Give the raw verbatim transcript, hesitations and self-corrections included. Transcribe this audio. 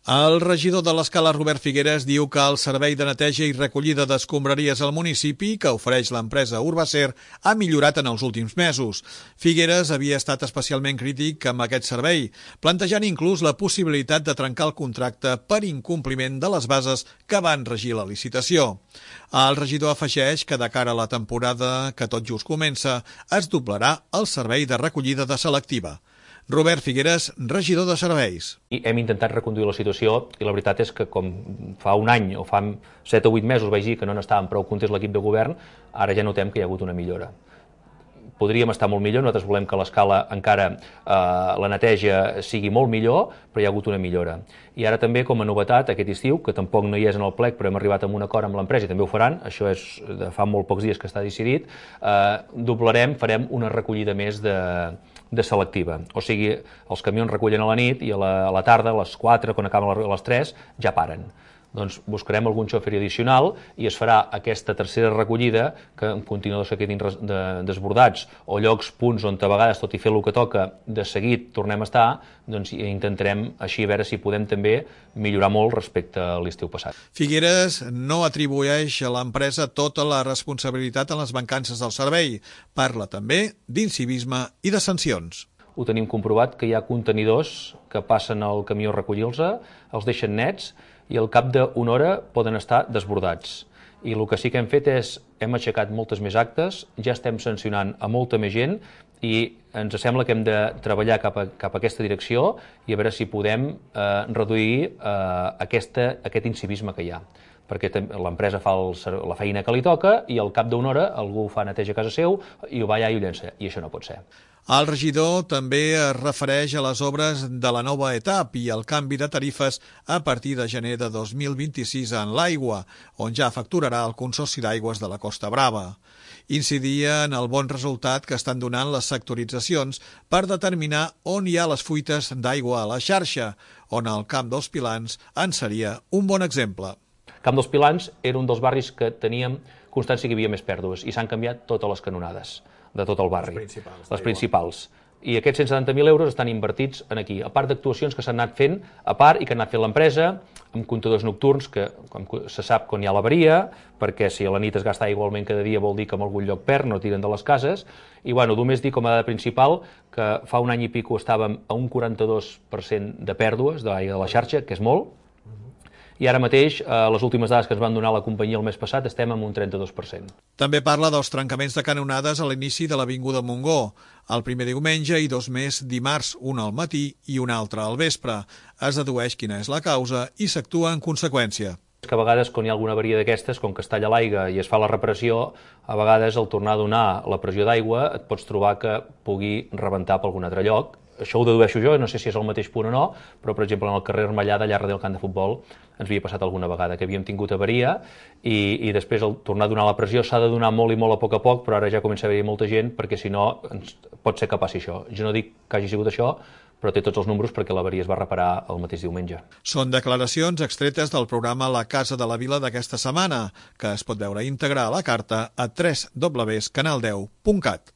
El regidor de l'Escala, Robert Figueres, diu que el servei de neteja i recollida d'escombraries al municipi, que ofereix l'empresa Urbacer, ha millorat en els últims mesos. Figueres havia estat especialment crític amb aquest servei, plantejant inclús la possibilitat de trencar el contracte per incompliment de les bases que van regir la licitació. El regidor afegeix que de cara a la temporada que tot just comença, es doblarà el servei de recollida de selectiva. Robert Figueres, regidor de serveis. I hem intentat reconduir la situació i la veritat és que com fa un any o fa set o vuit mesos vaig dir que no n'estàvem prou contents l'equip de govern, ara ja notem que hi ha hagut una millora. Podríem estar molt millor, nosaltres volem que l'Escala encara eh, la neteja sigui molt millor, però hi ha hagut una millora. I ara també, com a novetat, aquest estiu, que tampoc no hi és en el plec, però hem arribat a un acord amb l'empresa i també ho faran, això és de fa molt pocs dies que està decidit, eh, doblarem, farem una recollida més de, de selectiva. O sigui, els camions recullen a la nit i a la, a la tarda, a les quatre, quan acaben a les tres, ja paren. Doncs buscarem algun xofer addicional i es farà aquesta tercera recollida que en contenidors que quedin de, desbordats o llocs, punts on a vegades, tot i fer el que toca, de seguit tornem a estar, doncs intentarem així a veure si podem també millorar molt respecte a l'estiu passat. Figueres no atribueix a l'empresa tota la responsabilitat en les mancances del servei. Parla també d'incivisme i de sancions. Ho tenim comprovat que hi ha contenidors que passen al camió a recollir-los, els deixen nets i al cap d'una hora poden estar desbordats. I el que sí que hem fet és, hem aixecat moltes més actes, ja estem sancionant a molta més gent i ens sembla que hem de treballar cap a, cap a aquesta direcció i a veure si podem eh, reduir eh, aquesta, aquest incivisme que hi ha. Perquè l'empresa fa el, la feina que li toca i al cap d'una hora algú fa neteja a casa seu i ho va allà i ho llença, i això no pot ser. El regidor també es refereix a les obres de la nova etapa i al canvi de tarifes a partir de gener de dos mil vint-i-sis en l'aigua, on ja facturarà el Consorci d'Aigües de la Costa Brava. Incidia en el bon resultat que estan donant les sectoritzacions per determinar on hi ha les fuites d'aigua a la xarxa, on el Camp dels Pilans en seria un bon exemple. Camp dels Pilans era un dels barris que teníem constància que hi havia més pèrdues i s'han canviat totes les canonades de tot el barri, les principals. Les principals. I aquests cent setanta mil euros estan invertits en aquí, a part d'actuacions que s'han anat fent a part i que ha anat fent l'empresa, amb comptadors nocturns, que com se sap quan hi ha l'avaria, perquè si a la nit es gasta igualment cada dia vol dir que en algun lloc perd, no tiren de les cases, i bueno, només dir com a dada principal que fa un any i pico estàvem a un quaranta-dos per cent de pèrdues de l'aigua de la xarxa, que és molt, i ara mateix, eh, les últimes dades que ens van donar la companyia el mes passat, estem en un trenta-dos per cent. També parla dels trencaments de canonades a l'inici de l'Avinguda Montgó, el primer diumenge i dos més dimarts, un al matí i un altre al vespre. Es dedueix quina és la causa i s'actua en conseqüència. Que a vegades, quan hi ha alguna avaria d'aquestes, com que es talla l'aigua i es fa la reparació, a vegades al tornar a donar la pressió d'aigua et pots trobar que pugui rebentar per algun altre lloc. Això ho dedueixo jo, no sé si és el mateix punt o no, però, per exemple, en el carrer Armellada, allà darrere del camp de futbol, ens havia passat alguna vegada que havíem tingut avaria i, i després, al tornar a donar la pressió, s'ha de donar molt i molt a poc a poc, però ara ja comença a haver-hi molta gent, perquè si no, ens, pot ser que passi això. Jo no dic que hagi sigut això, però té tots els números perquè l'avaria es va reparar el mateix diumenge. Són declaracions extretes del programa La Casa de la Vila d'aquesta setmana, que es pot veure íntegra a la carta a w w w punt canal deu punt cat.